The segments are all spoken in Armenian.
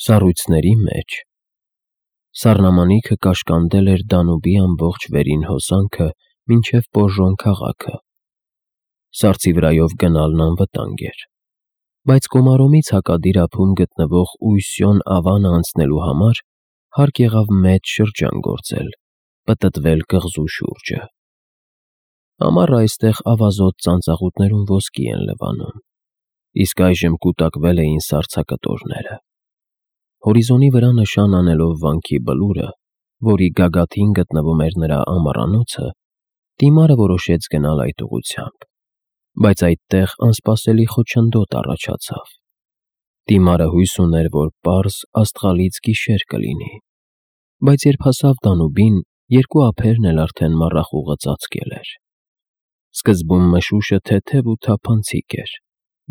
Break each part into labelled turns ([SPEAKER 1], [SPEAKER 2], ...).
[SPEAKER 1] Սառույցների մեջ սառնամանիքը կաշկանդել էր Դանուբի ամբողջ վերին հոսանքը մինչև Պոժոն քաղաքը։ Սառցի վրայով գնալն անվտանգ էր, բայց Կոմարոմից հակադիր ափում գտնվող Ուսյոն ավանը անցնելու համար հարկ եղավ մեծ շրջան գործել, պտտվել կղզու շուրջը։ Ամառը այստեղ ավազոտ ծանծաղուտներում ոսկի են լվանում, իսկ այժմ կուտակվել էին սառցակտորները։ Հորիզոնի վրա նշան անելով վանքի բլուրը, որի գագաթին գտնվում էր նրա ամառանոցը, Տիմարը որոշեց գնալ այդ ուղղությամբ, բայց այդտեղ անսպասելի խոչընդոտ առաջացավ։ Տիմարը հույս ուներ, որ պարզ աստղալից գիշեր կլինի, բայց երբ հասավ Դանուբին, երկու ափերն էլ արդեն մառախուղը ծածկել էր։ Սկզբում մշուշը թեթև ու թափանցիկ էր,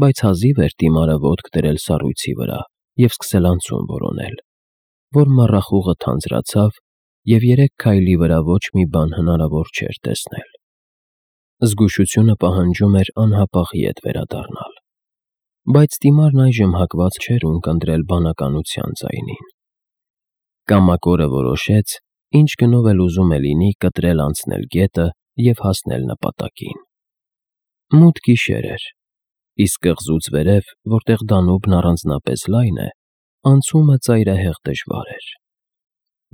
[SPEAKER 1] բայց հազիվ էր Տիմարը ոտք դրել սառույցի վրա և սկսել անցում որոնել, որ մառախուղը թանձրացավ և 3 քայլի վրա ոչ մի բան հնարավոր չէր տեսնել։ Զգուշությունը պահանջում էր անհապաղ ետ վերադառնալ, բայց Տիմարն այժմ հակված չէր ունկնդրել բանականության ձայնին։ Կամակորը որոշեց, ինչ գնով էլ ուզում է լինի կտրել անցնել գետը և հասնել նպատակին։ Մութ գիշեր էր, իսկ կղզուց վերև, որտեղ Դանուբն առանձնապես լայն է, անցումը ծայրահեղ դժվար էր։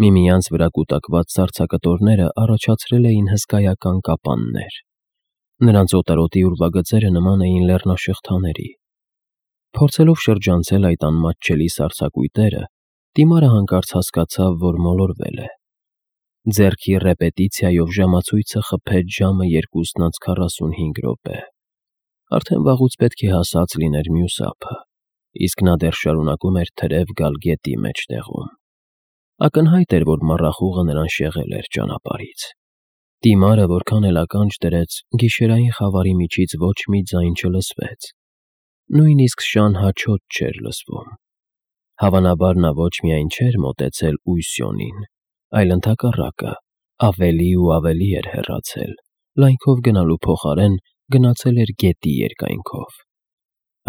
[SPEAKER 1] Միմյանց վրա կուտակված սառցակտորները առաջացրել էին հսկայական կապաններ։ Նրանց օտարոտի ուրվագծերը նման էին լեռնաշղթաների։ Փորձելով շրջանցել այդ անմատչելի սառցակույտերը, Տիմարը հանկարծ հասկացավ, որ մոլորվել է։ Ձեռքի ռեպետիցիայով ժամացույցը խփեց ժամը 2:45 րոպե։ Արդեն վաղուց պետք է հասած լիներ մյուս ափը, իսկ նա դեռ շարունակում էր թրև գալ գետի մեջտեղում։ Ակնհայտ էր, որ մառախուղը նրան շեղել էր ճանապարհից։ Տիմարը որքան էլ ականջ դրեց, գիշերային խավարի միջից ոչ մի ձայն չլսվեց։ Նույնիսկ շան հաչոց չէր լսվում։ Հավանաբար նա ոչ միայն չէր մոտեցել Ուսյոնին, այլ ընդհակառակը, ավելի ու ավելի էր հեռացել, լայնքով գնալու փոխարեն գնացել էր գետի երկայնքով։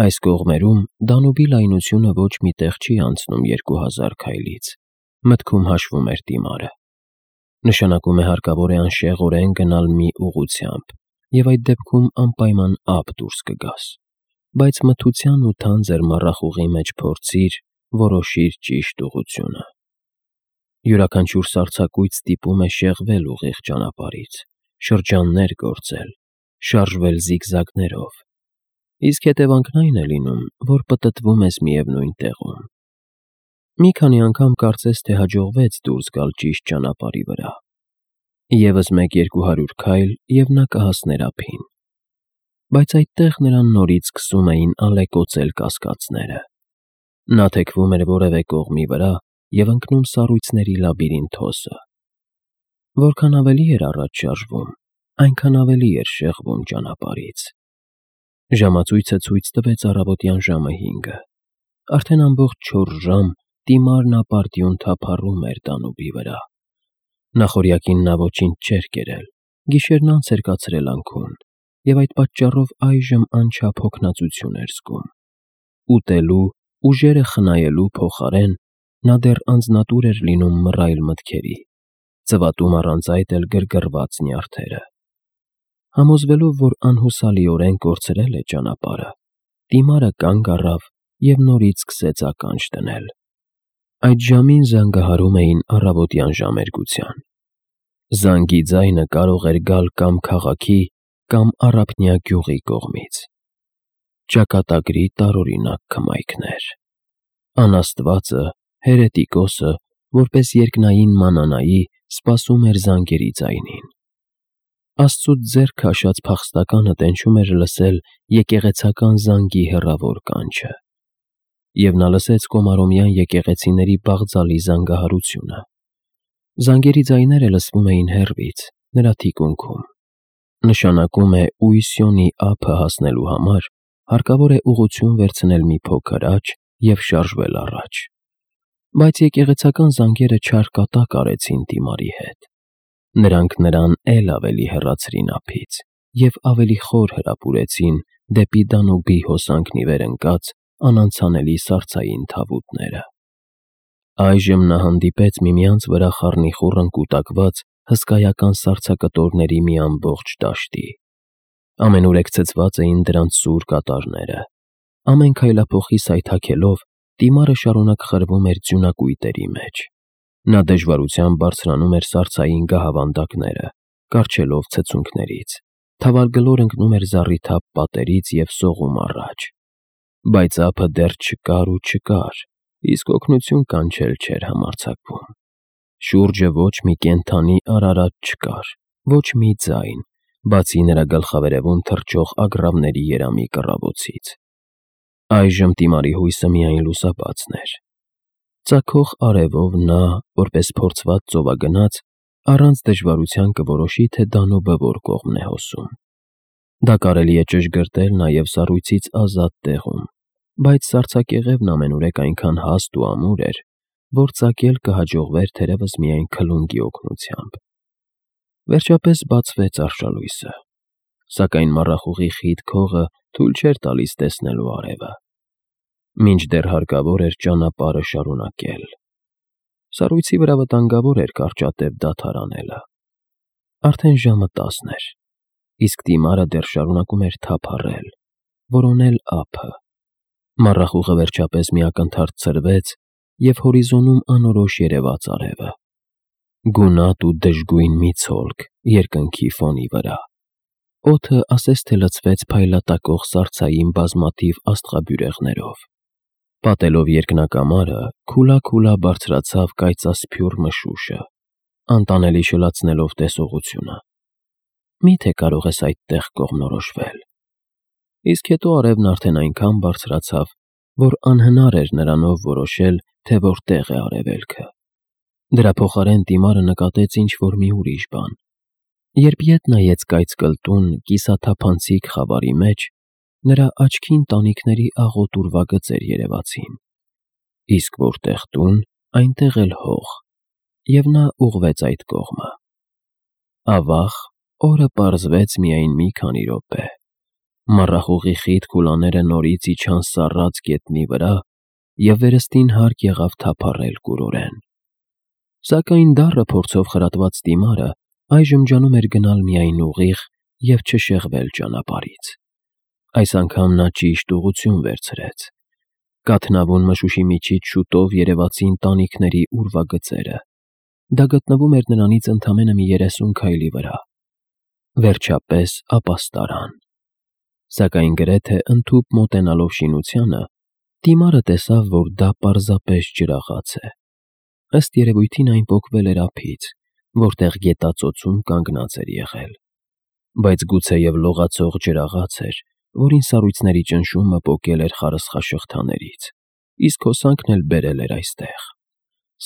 [SPEAKER 1] Այս կողմերում Դանուբի լայնությունը ոչ մի տեղ չի անցնում 2000 քայլից, մտքում հաշվում էր Տիմարը։ Նշանակում է հարկավոր է անշեղորեն գնալ մի ուղղությամբ, և այդ դեպքում անպայման ափ դուրս կգաս, բայց մթության ու թանձր մառախուղի մեջ փորձիր, որոշիր ճիշտ ուղղությունը։ Յուրաքանչյուր սառցակույտ ստիպում է շեղվել ուղիղ ճանապարհից, շրջաններ գործել, շարժվել զիգզագներով, իսկ հետևանքն այն է լինում, որ պտտվում ես միևնույն տեղում։ Մի քանի անգամ կարծես թե հաջողվեց դուրս գալ ճիշտ ճանապարհի վրա։ Եվս 100-200 քայլ, և նա կհասներ ափին։ Բայց այդտեղ նրան նորից սկսում էին ալեկոծել կասկածները։ Նա թեքվում էր որևէ կողմի վրա և ընկնում սառույցների լաբիրինթոսը։ Որքան ավելի էր առաջ շարժվում, այնքան ավելի էր շեղվում ճանապարհից։ Ժամացույցը ցույց տվեց առավոտյան ժամը 5-ը։ Արդեն ամբողջ 4 ժամ Տիմարն ապարդյուն թափառում էր Դանուբի վրա։ Նախօրյակին նա ոչինչ չէր կերել, գիշերն անց էր կացրել անքուն, և այդ պատճառով այժմ անչափ հոգնածություն էր զգում։ Ուտելու, ուժերը խնայելու փոխարեն նա դեռ անձնատուր էր լինում մռայլ մտքերի, ծվատում առանց այդ էլ գրգռված նյարդերը։ Համոզվելով, որ անհուսալիորեն կորցրել է ճանապարհը, Տիմարը կանգ առավ և նորից սկսեց ականջ դնել։ Այդ ժամին զանգահարում էին առավոտյան ժամերգության։ Զանգի ձայնը կարող էր գալ կամ քաղաքի, կամ առափնյա գյուղի կողմից։ Ճակատագրի տարօրինակ քմայքներ։ Անաստվածը, հերետիկոսը, որպես երկնային մանանայի, սպասում էր զանգերի ձայնին։ Աստծուց ձեռք քաշած փախստականը տենչում էր լսել եկեղեցական զանգի հեռավոր կանչը։ Եվ նա լսեց Կոմարոմյան եկեղեցիների բաղձալի զանգահարությունը։ Զանգերի ձայները լսվում էին հեռվից, նրա թիկունքում։ Նշանակում է Ուսյոնի ափը հասնելու համար հարկավոր է ուղղություն վերցնել մի փոքր աջ և շարժվել առաջ։ Բայց եկեղեցական զանգերը չար կատակ արեցին Տիմարի հետ։ Նրանք նրան էլ ավելի հեռացրին ափից և ավելի խոր հրապուրեցին դեպի Դանուբի հոսանքն ի վեր ընկած անանցանելի սառցային թավուտները։ Այժմ նա հանդիպեց միմյանց վրա խառնիխուռն կուտակված հսկայական սառցակտորների մի ամբողջ դաշտի։ Ամենուրեք ցցված էին դրանց սուր կատարները։ Ամեն քայլափոխի սայթաքելով դիմարը շարունակ խրվում էր ձյունակույտերի մեջ։ Նա դժվարությամբ բարձրանում էր սառցային գահավանդակները, կառչելով ցցունքներից, թավալգլոր ընկնում էր զառիթափ պատերից և սողում առաջ։ Բայց ափը դեռ չկար ու չկար, իսկ օգնություն կանչել չէր համարձակվում։ Շուրջը ոչ մի կենդանի արարած չկար, ոչ մի ձայն, բացի նրա գլխավերևում թռչող ագռավների երամի կռավոցից։ Այժմ Տիմարի հույսը միայն լուսաբացն էր։ Ծագող արևով նա, որպես փորձված ծովագնաց, առանց դժվարության կորոշի, թե Դանուբը որ կողմն է հոսում։ Դա կարելի է ճշգրտել նաև սառույցից ազատ տեղում, բայց սառցակեղևն ամենուրեք այնքան հաստ ու ամուր էր, որ ծագել կհաջողվեր թերևս միայն քլունգի օգնությամբ։ Վերջապես բացվեց արշալույսը, սակայն մառախուղի խիտ քողը թույլ չէր տալիս տեսնելու արևը։ Մինչդեռ հարկավոր էր ճանապարհը շարունակել։ Սառույցի վրա վտանգավոր էր կարճատև դադարանելը։ Արդեն ժամը 10 էր, իսկ Տիմարը դեռ շարունակում էր թափառել, որոնել ափը։ Մառախուղը վերջապես մի ակնթարթ ցրվեց, և հորիզոնում անորոշ երևաց արևը։ Գունատ ու դժգույն մի ցոլք երկնքի ֆոնի վրա։ Օդը ասես թե լցվեց փայլատակող սառցային բազմաթիվ աստղաբյուրեղներով։ Պատելով երկնակամարը, քուլա բարձրացավ կայծասփյուռ մշուշը, անտանելի շլացնելով տեսողությունը։ Մի՞թե կարող ես այդտեղ կողմնորոշվել։ Իսկ հետո արևն արդեն այնքան բարձրացավ, որ անհնար էր նրանով որոշել, թե որտեղ է արևելքը։ Դրա փոխարեն Տիմարը նկատեց ինչ-որ մի ուրիշ բան։ Երբ ետ նայեց կայծկլտուն, կիսաթափանցիկ խավարի մեջ, նրա աչքին տանիքների աղոտ ուրվագծեր երևացին։ Իսկ որտեղ տուն, այնտեղ էլ հող, և նա ուղղվեց այդ կողմը։ Ավաղ, օրը պարզվեց միայն մի քանի րոպե։ Մառախուղի խիտ քուլաները նորից իջան սառած գետնի վրա, և վերստին հարկ եղավ թափառել կուրորեն։ Սակայն դառը փորձով խրատված Տիմարը այժմ ջանում էր գնալ միայն ուղիղ և չշեղվել ճանապարհից։ Այս անգամ նա ճիշտ ուղղություն վերցրեց։ Կաթնավուն մշուշի միջից շուտով երևացին տանիքների ուրվագծերը։ Դա գտնվում էր նրանից ընդամենը մի 30 քայլի վրա։ Վերջապես ապաստարան։ Սակայն գրեթե ընդհուպ մոտենալով շինությանը, Տիմարը տեսավ, որ դա պարզապես ջրաղաց է։ Ըստ երևույթին այն պոկվել էր ափից, որտեղ գետածոցում կանգնած էր եղել։ Բայց գուցեև լողացող ջրաղաց էր, որին սառույցների ճնշումը պոկել էր խարսխաշղթաներից, իսկ հոսանքն էլ բերել էր այստեղ։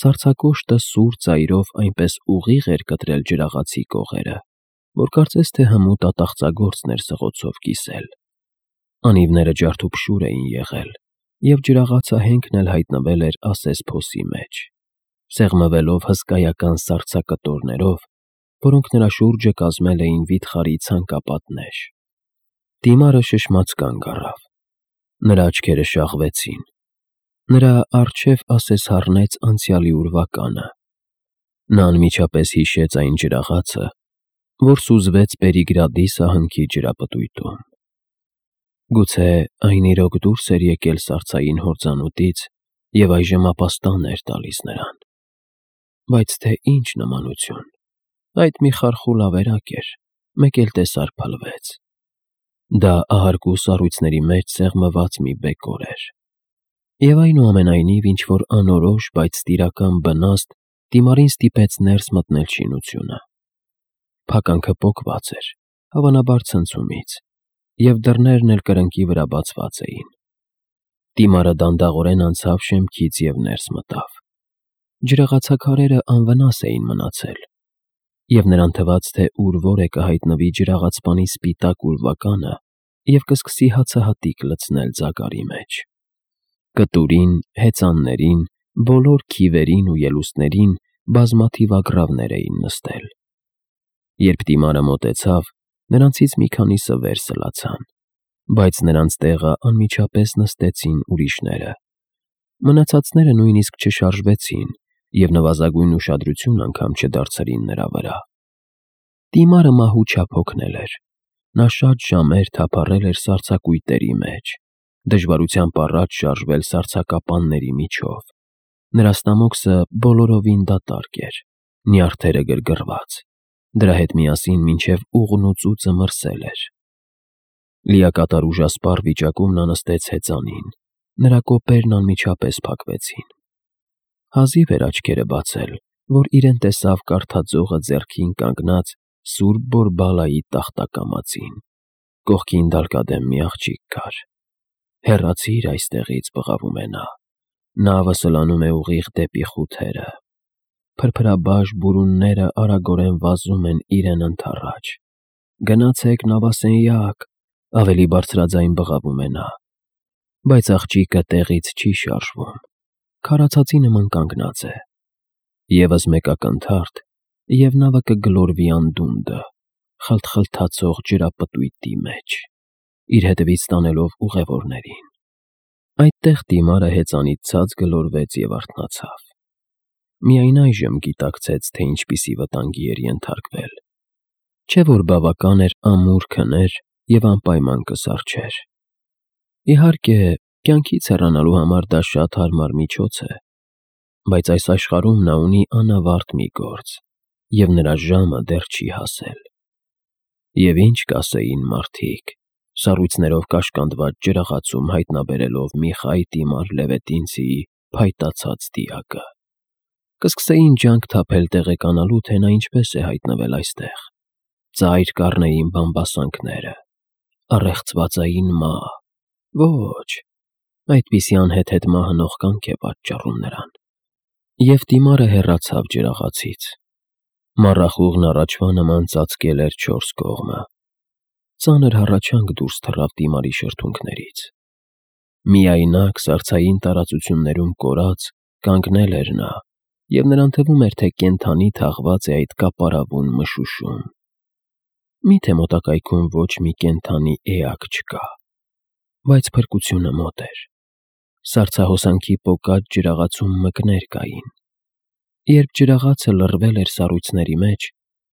[SPEAKER 1] Սառցակոշտը սուր ծայրով այնպես ուղիղ էր կտրել ջրաղացի կողերը, որ կարծես թե հմուտ ատաղծագործն էր սղոցով կիսել։ Անիվները ջարդուփշուր էին եղել, և ջրաղացը հենքն էլ հայտնվել էր ասես փոսի մեջ, սեղմվելով հսկայական սառցակտորներով, որոնք նրա շուրջը կազմել էին վիթխարի ցանկապատներ։ Տիմարը շշմած կանգ առավ։ Նրա աչքերը շաղվեցին։ Նրա առջև ասես հառնեց անցյալի ուրվականը։ Նա անմիջապես հիշեց այն ջրաղացը, որ սուզվեց Պերիգրադի սահնքի ջրապտույտում։ Գուցե այն իրոք դուրս էր եկել սառցային հորձանուտից և այժմ ապաստան էր տալիս նրան։ Բայց թե ինչ նմանություն։ Այդ մի խարխուլ ավերակ էր, մեկ էլ տեսար փլվեց։ Դա ահարկու սառույցների մեջ սեղմված մի բեկոր էր։ Եվ այնուամենայնիվ ինչ-որ անորոշ, բայց տիրական վնաստ Տիմարին ստիպեց ներս մտնել շինությունը։ Փականքը պոկված էր, հավանաբար ցնցումից, և դռներն էլ կրկնակի վրա բացված էին։ Տիմարը դանդաղորեն անցավ շեմքից և ներս մտավ։ Ջրաղացաքարերը անվնաս էին մնացել, և նրան թվաց, թե ուր-որ է կհայտնվի ջրաղացպանի սպիտակ ուրվականը և կսկսի հացահատիկ լցնել ձագարի մեջ։ Կտուրին, հեծաններին, բոլոր քիվերին ու ելուստներին բազմաթիվ ագռավներ էին նստել։ Երբ Տիմարը մոտեցավ, նրանցից մի քանիսը վեր սլացան, բայց նրանց տեղը անմիջապես նստեցին ուրիշները։ Մնացածները նույնիսկ չշարժվեցին և նվազագույն ուշադրություն անգամ չդարձրին նրա վրա։ Տիմարը մահու չափ հոգնել էր։ Նա շատ ժամեր թափառել էր սառցակույտերի մեջ, դժվարությամբ առաջ շարժվել սառցակապանների միջով։ Նրա ստամոքսը բոլորովին դատարկ էր, նյարդերը գրգռված, դրա հետ միասին մինչև ուղն ու ծուծը մրսել էր։ Լիակատար ուժասպառ վիճակում նա նստեց հեծանին, նրա կոպերն անմիջապես փակվեցին։ Հազիվ էր աչքերը բացել, որ իրեն տեսավ կարդաձողը ձեռքին կանգնած Սուրբ Բորբալայի տախտակամածին։ Կողքին դալկադեմ մի աղջիկ կար։ «Հեռացիր այստեղից», բղավում է նա։ Նավը սլանում է ուղիղ դեպի խութերը։ Փրփրաբաշ բուրունները արագորեն վազում են իրեն ընդառաջ։ «Գնացեք նավասենյակ», ավելի բարձրաձայն բղավում է նա։ Բայց աղջիկը տեղից չի շարժվում, քարացածի նման կանգնած է։ Եվս մեկ ակնթարթ, և նավը կգլորվի անդունդը, խլթխլթացող ջրապտույտի մեջ, իր հետևից տանելով ուղևորներին։ Այդտեղ Տիմարը հեծանից ցած գլորվեց և արթնացավ։ Միայն այժմ գիտակցեց, թե ինչպիսի վտանգի էր ենթարկվել։ Չէ՞ որ բավական էր ամուր քներ և անպայման կսառչեր։ Իհարկե, կյանքից հեռանալու համար դա շատ հարմար միջոց է, բայց այս աշխարհում նա ունի անավարտ մի գործ, և նրա ժամը դեռ չի հասել։ Եվ ինչ կասեին մարդիկ, սառույցներով կաշկանդված ջրաղացում հայտնաբերելով մի խայ Տիմար Լևետինցիի փայտացած դիակը։ Կսկսեին ջանք թափել տեղեկանալու, թե նա ինչպես է հայտնվել այստեղ։ Ծայր կառնեին բամբասանքները, առեղծվածային մահ։ Ոչ, այդպիսի անհեթեթ մահը կյանք է պատճառում նրան։ Եվ Տիմարը հեռացավ ջրաղացից։ Մառախուղն առաջվա նման ծածկել էր չորս կողմը։ Ծանր հառաչանք դուրս թռավ Տիմարի շրթունքներից։ Միայնակ սառցային տարածություններում կորած կանգնել էր նա, և նրան թվում էր, թե կենդանի թաղված է այդ կապարավուն մշուշում։ Մի՞թե մոտակայքում ոչ մի կենդանի էակ չկա։ Բայց փրկությունը մոտ էր։ Սառցահոսանքի պոկած ջրաղացում մկներ կային։ Երբ ջրաղացը լռվել էր սառույցների մեջ,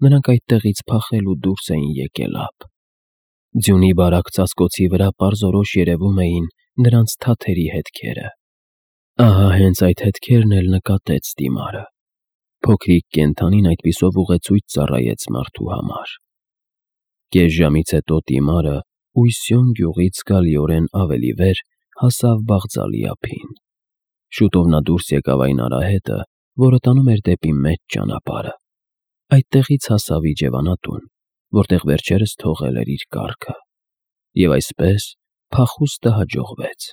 [SPEAKER 1] նրանք այդտեղից փախել ու դուրս էին եկել ափ։ Ձյունի բարակ ծածկոցի վրա պարզորոշ երևում էին նրանց թաթերի հետքերը։ Ահա հենց այդ հետքերն էլ նկատեց Տիմարը։ Փոքրիկ կենդանին այդպիսով ուղեցույց ծառայեց մարդու համար։ Կես ժամից հետո Տիմարը Ույսյոն գյուղից զգալիորեն ավելի վեր հասավ Բաղձալի ափին։ Շուտով նա դուրս եկավ այն արահետը, որը տանում էր դեպի մեծ ճանապարհը։ Այդտեղից հասավ իջևանատուն, որտեղ վերջերս թողել էր իր կառքը։ Եվ այսպես փախուստը հաջողվեց։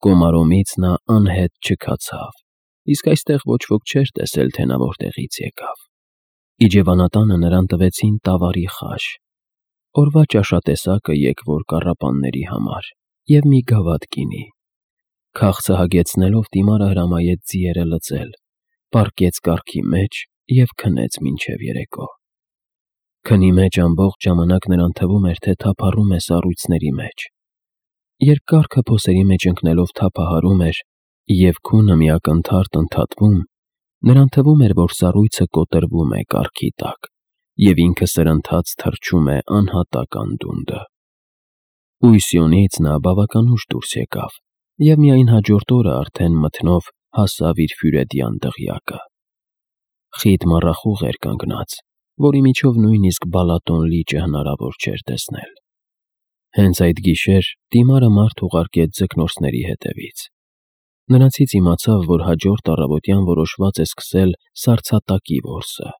[SPEAKER 1] Կոմարոմից նա անհետ չքացավ, իսկ այստեղ ոչ ոք չէր տեսել, թե նա որտեղից եկավ։ Իջևանատանը նրան տվեցին տավարի խաշ, օրվա ճաշատեսակը եկվոր կառապանների համար և մի գավաթ գինի։ Քաղցը հագեցնելով Տիմարը հրամայեց ձիերը լծել, պառկեց կառքի մեջ և քնեց մինչև երեկո։ Քնի մեջ ամբողջ ժամանակ նրան թվում էր, թե թափառում է սառույցների մեջ։ Երբ կառքը փոսերի մեջ ընկնելով թափահարում էր և քունը մի ակնթարթ ընդհատվում, նրան թվում էր, որ սառույցը կոտրվում է կառքի տակ, և ինքը սրընթաց թռչում է անհատակ անդունդը։ Ույսյոնից նա բավական ուշ դուրս եկավ և միայն հաջորդ օրը արդեն մթնով հասավ իր Ֆյուրեդյան դղյակը։ Խիտ մառախուղ էր կանգնած, որի միջով նույնիսկ Բալատոն լիճը հնարավոր չէր տեսնել։ Հենց այդ գիշեր Տիմարը մարդ ուղարկեց ձկնորսների հետևից։ Նրանցից իմացավ, որ հաջորդ առավոտյան որոշված է սկսել սառցատակի որսը։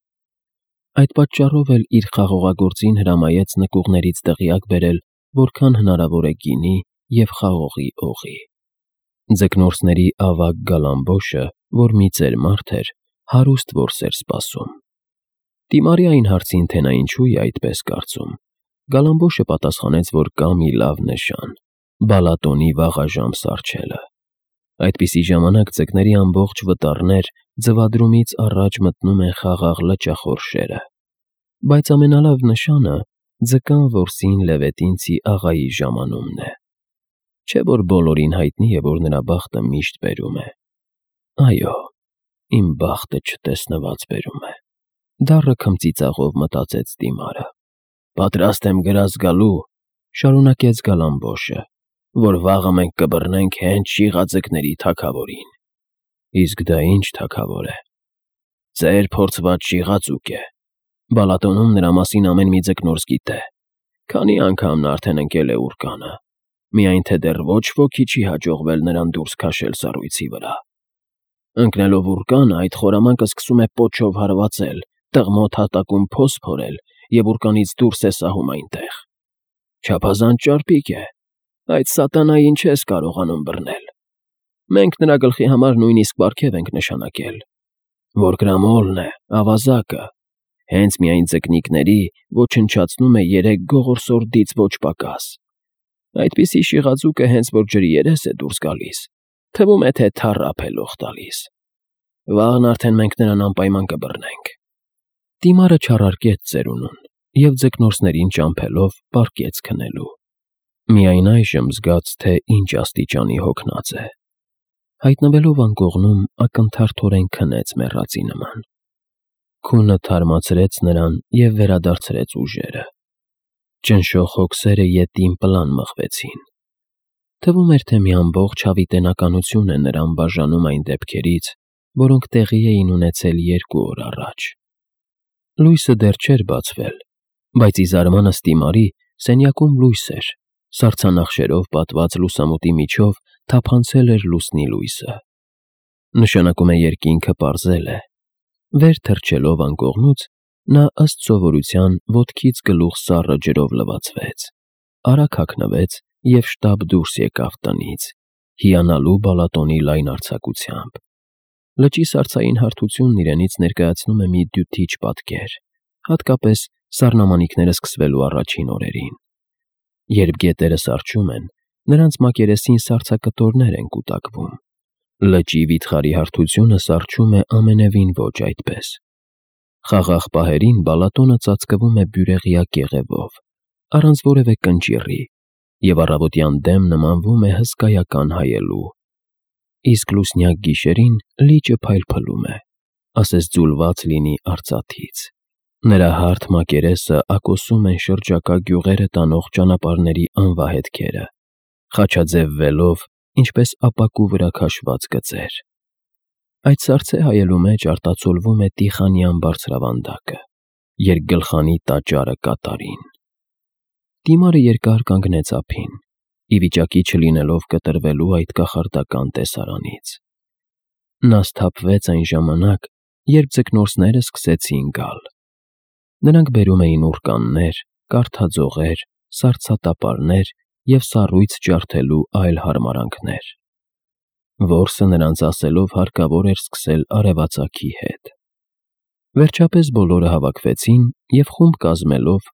[SPEAKER 1] Այդ պատճառով էլ իր խաղողագործին հրամայեց նկուղներից տեղյակ բերել, որքան հնարավոր է գինի և խաղողի օղի։ Ձկնորսների ավագ Գալամբոշը, որ մի ծեր մարդ էր, հարուստ որս էր սպասում։ Տիմարի այն հարցին, թե նա ինչու է այդպես կարծում, Գալամբոշը պատասխանեց, որ կա մի լավ նշան՝ Բալատոնի վաղաժամ սառչելը։ Այդպիսի ժամանակ ձկների ամբողջ վտառներ ձվադրումից առաջ մտնում են խաղաղ լճախորշերը։ Բայց ամենալավ նշանը ձկան որսին Լևետինցի աղայի ժամանումն է։ Չէ որ բոլորին հայտնի է, որ նրա բախտը միշտ բերում է։ Այո, իմ բախտը չտեսնված բերում է։ Դառը քմծիծաղով մտածեց Դիմարը։ Պատրաստ եմ գրազ գալու, շարունակեց Գալամբոշը, որ վաղը մենք կբռնենք հենց շիղաձկների թագավորին։ Իսկ դա ինչ թագավոր է։ Ծեր փորձված շիղաձուկ է։ Բալատոնում նրա մասին ամեն մի ձկնորս գիտե։ Քանի անգամ նա արդեն ընկել է ուռկանը, միայն թե դեռ ոչ ոքի չի հաջողվել նրան դուրս քաշել սառույցի վրա։ Ընկնելով ուռկանը, այդ խորամանկը սկսում է պոչով հարվածել, տղմոտ հատակում փոս փորել և ուռկանից դուրս է սահում այնտեղ։ Չափազանց ճարպիկ է, այդ սատանային չես կարողանում բռնել։ Մենք նրա գլխի համար նույնիսկ պարգև ենք նշանակել։ Որկրամոլն է, ավազակը, հենց միայն ձկնիկների ոչնչացնում է 3 գողորսորդից ոչ պակաս։ Այդպիսի շիղաձուկը հենց որ ջրի երես է դուրս գալիս, թվում է, թե թառափ է լող տալիս։ Վաղն արդեն մենք նրան անպայման կբռնենք։ Դիմարը չառարկեց ծերունուն և ձկնորսներին ճամփելով պառկեց քնելու։ Միայն այժմ զգաց, թե ինչ աստիճանի հոգնած է։ Հայտնվելով անկողնում, ակնթարթորեն քնեց մեռածի նման։ Քունը թարմացրեց նրան և վերադարձրեց ուժերը։ Ճնշող հոգսերը ետին պլան մղվեցին։ Թվում էր, թե մի ամբողջ հավիտենականություն է նրան բաժանում այն դեպքերից, որոնք տեղի էին ունեցել 2 օր առաջ։ Լույսը դեռ չէր բացվել, բայց ի զարմանս Դիմարի սենյակում լույս էր, սառցանախշերով պատված լուսամուտի միջով թափանցել էր լուսնի լույսը։ Նշանակում է երկինքը պարզել է։ Վեր թռչելով անկողնուց, նա ըստ սովորության ոտքից գլուխ սառը ջրով լվացվեց, արագ հագնվեց և շտապ դուրս եկավ տնից, հիանալու Բալատոնի լայն արձակությամբ։ Լճի սառցային հարթությունն իրենից ներկայացնում է մի դյութիչ պատկեր, հատկապես սառնամանիքները սկսվելու առաջին օրերին։ Երբ գետերը սառչում են, նրանց մակերեսին սառցակտորներ են կուտակվում։ Լճի վիթխարի հարթությունը սառչում է ամենևին ոչ այդպես։ Խաղաղ պահերին Բալատոնը ծածկվում է բյուրեղյա կեղևով, առանց որևէ կնճիռի, և առավոտյան դեմ նմանվում է հսկայական հայելու։ Իսկ լուսնյակ գիշերին լիճը փայլփլում է, ասես ձուլված լինի արծաթից։ Նրա հարթ մակերեսը ակոսում են շրջակա գյուղերը տանող ճանապարհների անվահետքերը, խաչաձև վելով, ինչպես ապակու վրա քաշված գծեր։ Այդ սառցե հայելու մեջ արտացոլվում է Տիխանյան բարձրավանդակը, երկգլխանի տաճարը կատարին։ Դիմարը երկար կանգնեց ափին, ի վիճակի չլինելով կտրվելու այդ կախարդական տեսարանից։ Նա սթափվեց այն ժամանակ, երբ ձկնորսները սկսեցին գալ։ Նրանք բերում էին ուռկաններ, կարթաձողեր, սառցատապարներ և սառույց ջարդելու այլ հարմարանքներ։ Որսը նրանց ասելով հարկավոր էր սկսել արևածագի հետ։ Վերջապես բոլորը հավաքվեցին և խումբ կազմելով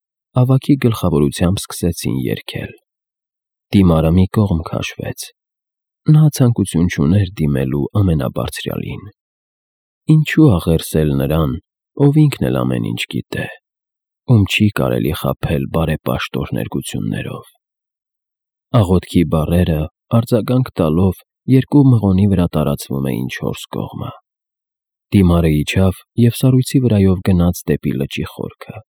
[SPEAKER 1] ավագի գլխավորությամբ սկսեցին երգել։ Դիմարը մի կողմ քաշվեց։ Նա ցանկություն չուներ դիմելու ամենաբարձրյալին։ Ինչու աղերսել նրան, ով ինքն էլ ամեն ինչ գիտե, ում չի կարելի խաբել բարեպաշտ օրհներգություններով։ Աղոթքի բառերը արձագանք տալով երկու մղոնի վրա տարածվում էին 4 կողմը։ Դիմարը իջավ և սառույցի վրայով գնաց դեպի լճի խորքը։